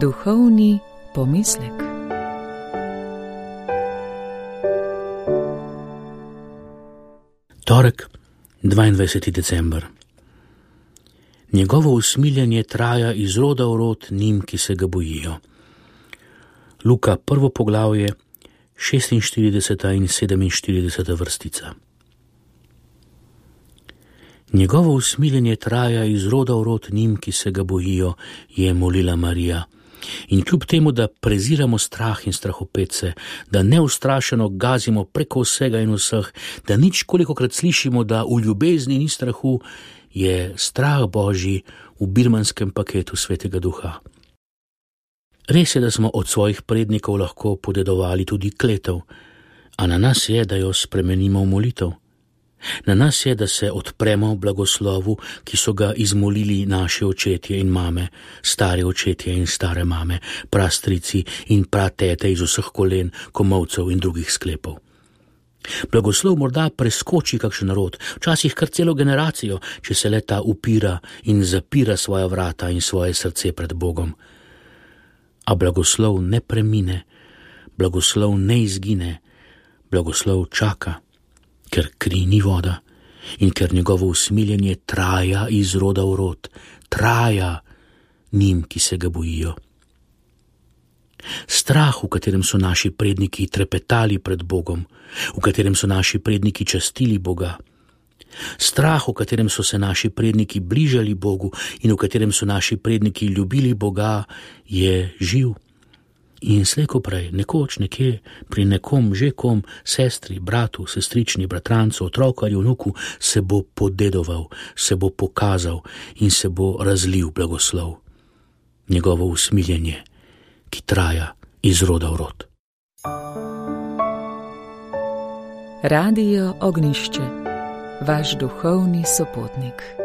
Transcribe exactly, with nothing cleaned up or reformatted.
Duhovni pomislek. Torek, dvaindvajseti december. Njegovo usmiljenje traja iz roda v rod njim, ki se ga bojijo. Luka, prvo poglavje, šestinštirideseta in sedeminštirideseta vrstica. Njegovo usmiljenje traja iz roda v rod njim, ki se ga bojijo, je molila Marija. In kljub temu, da preziramo strah in strahopetce, da neustrašeno gazimo preko vsega in vseh, da nič kolikokrat slišimo, da v ljubezni ni strahu, je strah Božji v birmanskem paketu Svetega Duha. Res je, da smo od svojih prednikov lahko podedovali tudi kletev, a na nas je, da jo spremenimo v molitev. Na nas je, da se odpremo blagoslovu, ki so ga izmolili naši očetje in mame, stare očetje in stare mame, prastrici in pratete iz vseh kolen, komolcev in drugih sklepov. Blagoslov morda preskoči kakšen narod, včasih kar celo generacijo, če se le ta upira in zapira svoja vrata in svoje srce pred Bogom. A blagoslov ne premine, blagoslov ne izgine, blagoslov čaka, ker kri ni voda in ker njegovo usmiljenje traja iz roda v rod, traja njim, ki se ga bojijo. Strah, v katerem so naši predniki trepetali pred Bogom, v katerem so naši predniki častili Boga, strah, v katerem so se naši predniki bližali Bogu in v katerem so naši predniki ljubili Boga, je živ. In slej ko prej, nekoč nekje, pri nekom že kom, sestri, bratu, sestrični, bratrancu, otroku ali vnuku, se bo podedoval, se bo pokazal in se bo razlil blagoslov. Njegovo usmiljenje, ki traja iz roda v rod. Radio Ognjišče, vaš duhovni sopotnik.